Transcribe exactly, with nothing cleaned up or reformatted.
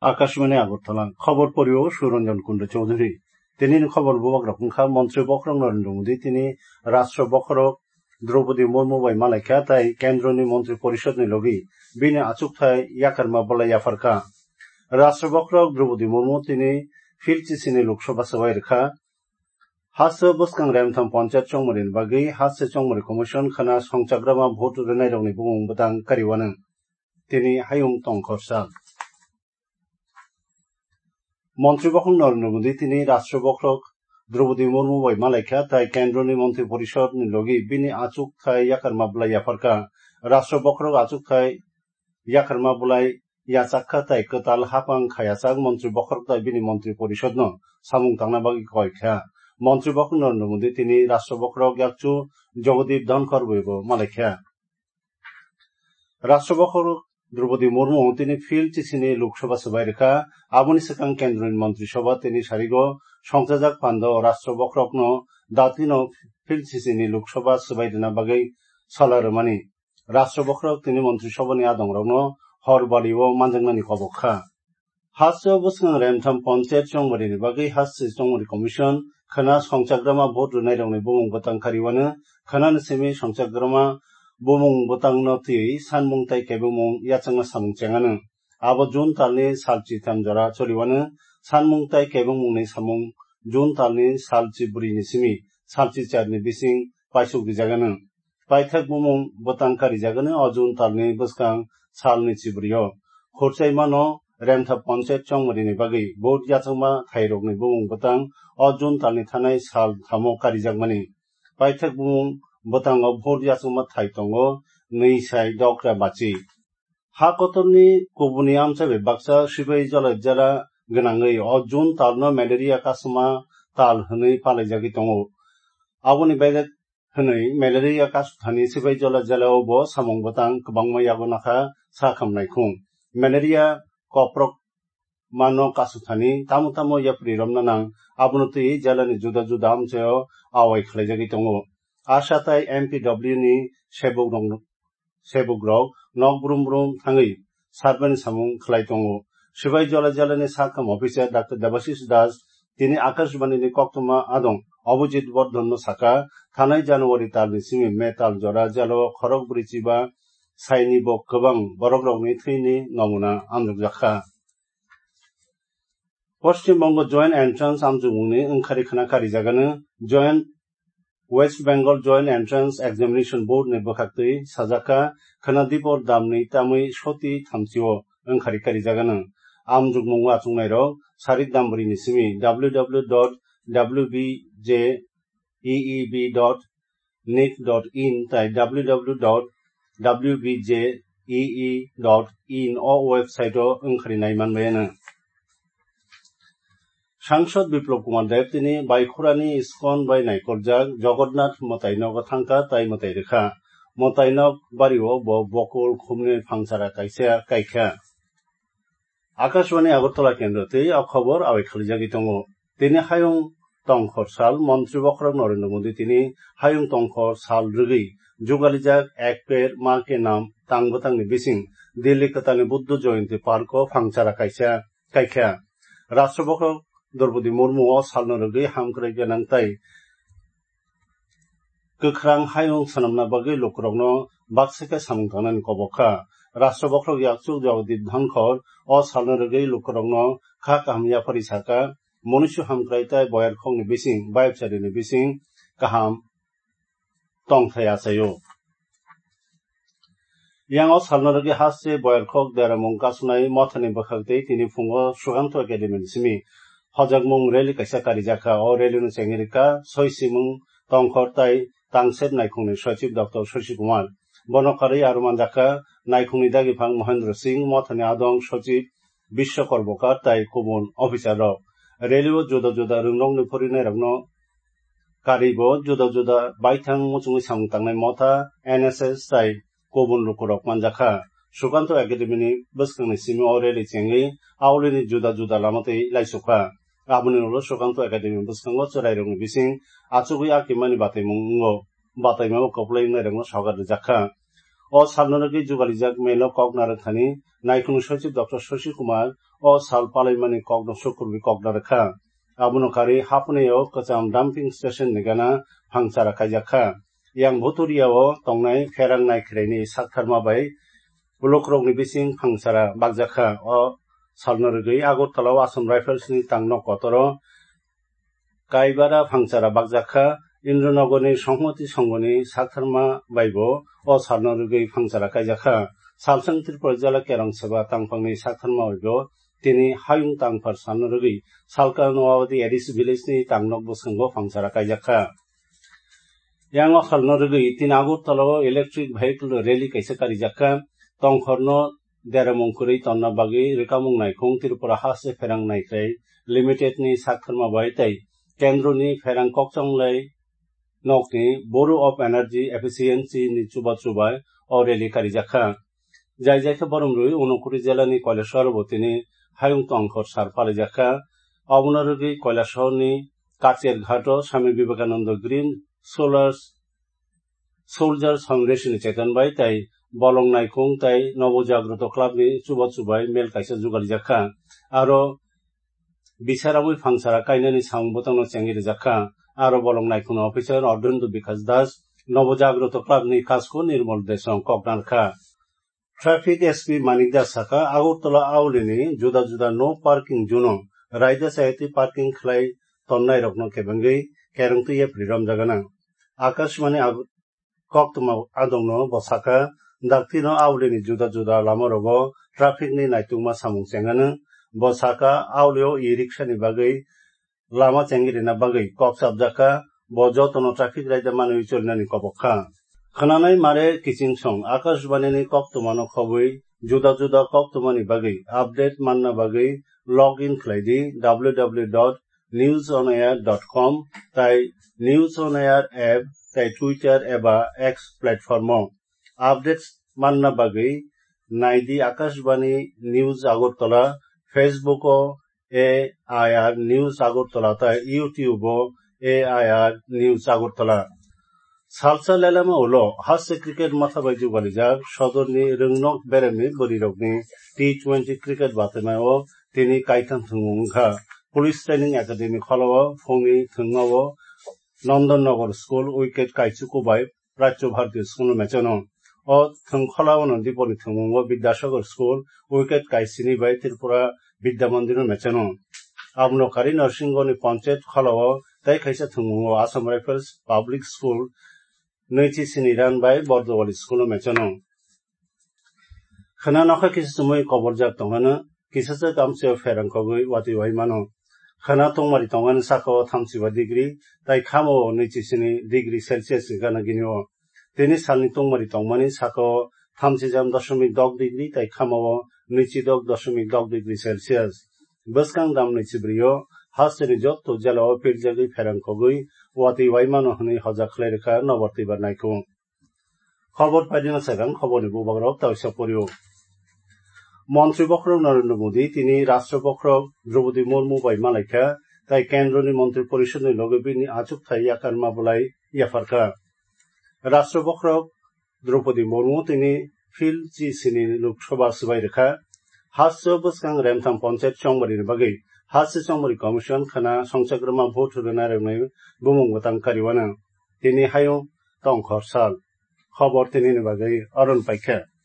Akashmani Agartala, khobor porio Suranjan Kunda Chaudhary. Tini ni khobor bubak rok wngkha, Montri Bokhorok Narendra Modi tini Rashtra Bokhorok Draupadi Murmu bai malaikha tai Kendroni Montri Porishod ni logi bini achukthai yakarma bolai yapharkha. Rashtra Bokhorok Draupadi Murmu tini Phil Chisini Lok Sabha swbai rwkha. Haste bwskang Remtham Panchayat chongmani bagwi Haste Chongmani Commission khana songchakrama vote rwnairokni bumung bwtang kariwano. Tini hayung tongkhor sal. Montri Bokhorok Narendra Modi tini Rashtra Bokhorok Draupadi Murmu bai malaikha tai Kendroni Montri Porishod ni logi bini achukthai yakarma bolai yapharkha. Rashtra Bokhorok achukthai yakarma bolai yachakha tai kwtal hapang khayachak Montri Bokhorok tai bini Montri Porishod no samung tangna bagwi koikha. Montri Bokhorok Narendra Modi tini Rashtra Bokhorok yakchu Jagdeep Dhankhar bai bo malaikha. Rashtra Bokhorok Draupadi Murmu tini Phil Chisini Lok Sabha swbai rwkha. Aboni swkang Kendroni Montri Sabha tini sarigo songchajak pando Rashtra Bokhorokno datino Phil Chisini Lok Sabha swbai rwna bagwi sala rwmani. Rashtra Bokhorok tini Montri Sabhani adongrokno hor balio manjaknani kobok kha. Haste bwskang Remtham Panchayat chongmani bagwi Haste Chongmani Commission khana songchakrama vote rwnairokni bumung bwtang kariwano, khanani simi songchakrama bumung bwtangno twiwi sanmung tai kebengmung yachakna samung chengano. Abo June talni salchi tam jora choliwano, sanmung tai kebengmungni samung June talni salchi bwrwini simi salchi charni bising paisuk rijagano. Paithak bumung bwtang karijagani o June talni bwskang salni chibrio. Khurchaimano Remtham Panchayat chongmani bagwi vote yachakma thairokni bumung bwtang o June talni thanai sal thamo karijakmani. Paithak bumung bwtango vote yachakma thai tongo nwi sai dokra bachi. Ha kotorni kubuni amchai bai baksa Sibai Jala jela gwnangwi o June talno malaria kasuma tal hwnwi palaijagwi tongo. Aboni baide hwnwi malaria kasuthani Sibai Jala jelao bo samung bwtang kwbangma yago nakha sa kham naikhung. Malaria koprok mano kasuthani tamo tamo yapri romna nang, abono twi jelani juda juda amchaio awai khlaijagwi tongo. Asha tai M P W ni sebok rok, sebok rok nok brum brum thangwi sarmani samung khlai tongo. Sibai Jala jelani sakam officer Doctor Debashish Das tini Akashbani ni koktwma adong Abhijit Bardhan no saka, thanai January talni simi May tal jora jelo khorok bwrwi chiba saini bo kwbang borok rokni thwini nomuna amjokjakha. Poschim Bongo Joint Entrance amjokmungni wngkhari khna karijagano Joint West Bengal Joint Entrance Examination Board ni bwkhaktwi sajakha khna dipor damni tamwi soti thamchio wngkhari karijagano. Amjokmung achuknairok sarik dambrini simi W W W dot W B J E E B dot nic dot in tai W W W dot W B J E E dot in o website o wngkhari nai manbayano. Sangsad Biplab Kumar Deb tini Baikhurani Iskon bai naikoljak Jagannath mwtaino thangkha tai mwtai rwkha. Mwtaino bario bo bokol khumni phangchara kaisa kaikha. Akashbani Agartala kendro tei o khobor awai khalijagwi tongo. Tini hayung tongkhor sal Montri Bokhorok Narendra Modi tini hayung tongkhor sal rwgwi jugalijak Ek Ped Maa Ke Naam tang bwtangni bising Delhi kwtalni Buddha Jayanti Park o phangchara kaisa kaikha. Rashtra Bokhorok Draupadi Murmu o salno rwgwi hamkrai gwnang tai kwkhrang hayung swnamna bagwi lukurokno baksa khe samung tangnani kobok kha. Rashtra Bokhorok yakchuk Jagdeep Dhankhar o salno rwgwi lukurokno kha kaham yapharwi saka, munuisu hamkrai tai boyarkhokni bising, bayapcharini bising kaham tongthai achaio. Yang o salno rwgwi haste boyarkhok deramung kasunai mothani bwkhak tei tini phungo Sukanto Academy ni simi hojakmung rally kaisa karijakha. O rally no chengwi rwkha soi simung tongkhor tai tangser naikhungni sochib Doctor Shashi Kumar. Bono karwi aro manjakha naikhungni dagiphang Mohendra Singh, mothani adong sochib Biswa Karbakar tai kubun officer rok. Rally o juda juda rwngrokni phurinai rokno karwi bo juda juda baithang muchungwi samung tangnai motha, N S S tai kubun lukurok manjakha. Sukanto Academy ni bwskangni simi o rally chengwi aulini juda juda lama twi laisukha. Aboni ulo Sukanto Academy bwskango chwrairokni bising achugwi akimani bataimung wngo. Bataimao kwplai wngnairokno sogat rwjakha. O salno rwgwi jugalijak melo kok narwkthani naikhungni sochib Doctor Shashi Kumar o sal palaimani kokno sukurwi kokna rwkha. Abono karwi Haphnaio kwcham dumping station ni gana phangchara kaijak kha. Yang Bhuturia o tongnai pherang naikhwraini saktharma bai block rokni bising phangchara bakjak kha. O salno rwgwi Agartala o Assam Rifles ni tangno kotoro kaibara phangchara bakjak kha. Indranogorni Songhmati Songhoni saktharma baibo o salno rwgwi phangchara kaijak kha. Salsang Tripura jela Kerong Seba tangphangni saktharma baibo tini hayung tangphar salno rwgwi Salka Noabadi A D C village ni tangnok bwskango phangchara kaijak kha. Yang o salno rwgwi tini Agartala o electric vehicle rally kaisa karijak kha. Tongkhorno deramung kwrwi tonna bagwi rwkamung naikhung Tripura Haste Pherang Naikhrai Limited ni saktharma bai tei kendroni pherang kokchonglai nokni Bureau of Energy Efficiency ni chubachu bai o rally karijak kha. Jai jai khe borom rwi Unakoti jela ni Kailasahar bo tini hayung tongkhor sar palaijak kha. Obono rwgwi Kailasahar ni Kacherghat o Swami Vivekananda Green Solars Soldiers Foundation ni cheton bai tei Bolong Naikhung tei Nobo Jagroto Club ni chubachu bai mel kaisa jugalijak kha. Aro bicharamwi phangchara kainani samung bwtangno chengwi rijak kha. Aro Bolong Naikhung ni officer Ardhendu Bikash Das, Nobo Jagroto Club ni Kasko Nirmal Desong koknar kha. Traffic S P Manik Das saka, Agartala aulini juda juda no parking zone o raida sayati parking khlai tonnairokno kebengwi kerongtwi yapri romjagana. Akashbani Ag-, koktwma adongno bo saka, daktino aulini juda juda lamarogo traffic ni naitugma samung chengano. Bo saka, aulio e-rickshaw ni bagwi lama chengwi rina bagwi kok chapjak kha, bo jotono traffic raida manwi cholinani kobok kha. Khwnanai mare kiching song Akashbani ni koktwmano khobwi juda juda koktwmani bagwi update manna bagwi log in khlai di W W W dot news on air dot com tai News on Air app tai Twitter eba X platform o. Updates manna bagwi nai di Akashbani News Agartala, Facebook o A I R News Agartala tai YouTube o A I R News Agartala. Salsa lelema ulo haste cricket matha bai jugalijak sodorni rwngnok beremni bwrwirokni T twenty cricket batwmao tini kaitham thwngmung wngkha. Police Training Academy kholao phungni thwngmao Nandan Nagar School wicket kaichuku bai Prachya Bharati School no mechano. O thwng kholao no dipori thwngmungo Vidyasagar School wicket kaisini bai Tripura Vidya Mandir no mechano. Abono kari Narsingoni Panchayat kholao tei kaisa thwngmungo Assam Rifles Public School nwichi sini run bai Bordowali School no mechano. Khna nokha kisa chumui koborjak tongmano, kisa se kamsio pherang kogwi watwi wai mano. Khna tongmari tongmani saka o thamsiba degree, tai khama o nwichi sini degree Celsius ni gana gini o. Tini salni tongmari tongmani saka o thamsijam dosomik dok degree, tai khama o nwichi dok dosomik dok degree Celsius. Bwskang dam nwichi brio, hasteni jotto jela o pirjagwi pherang kogwi watwi wai mano hwnwi hoja khlai rwkha Nobar Twibar Naikhung. Khobor paidina sagang khoborni bubagrok tawisa porio. Montri bokhorok Narendra Modi tini Rashtra bokhorok Draupadi Murmu bai malaikha, tai Kendroni Montri Porishodni loge bini achukthai yakarma bolai yapharkha. Rashtra bokhorok Draupadi Murmu tini phil chi sini Lok Sabha swbai rwkha. Hasteo bwskang remtham Panchayat chongbarini bagwi Haste Chongmari Commission khna songchakrama vote rwna rwnai bumung bwtang kariwana. Tini hayung tongkhor sal. Khobor tinini bagwi aron paikha.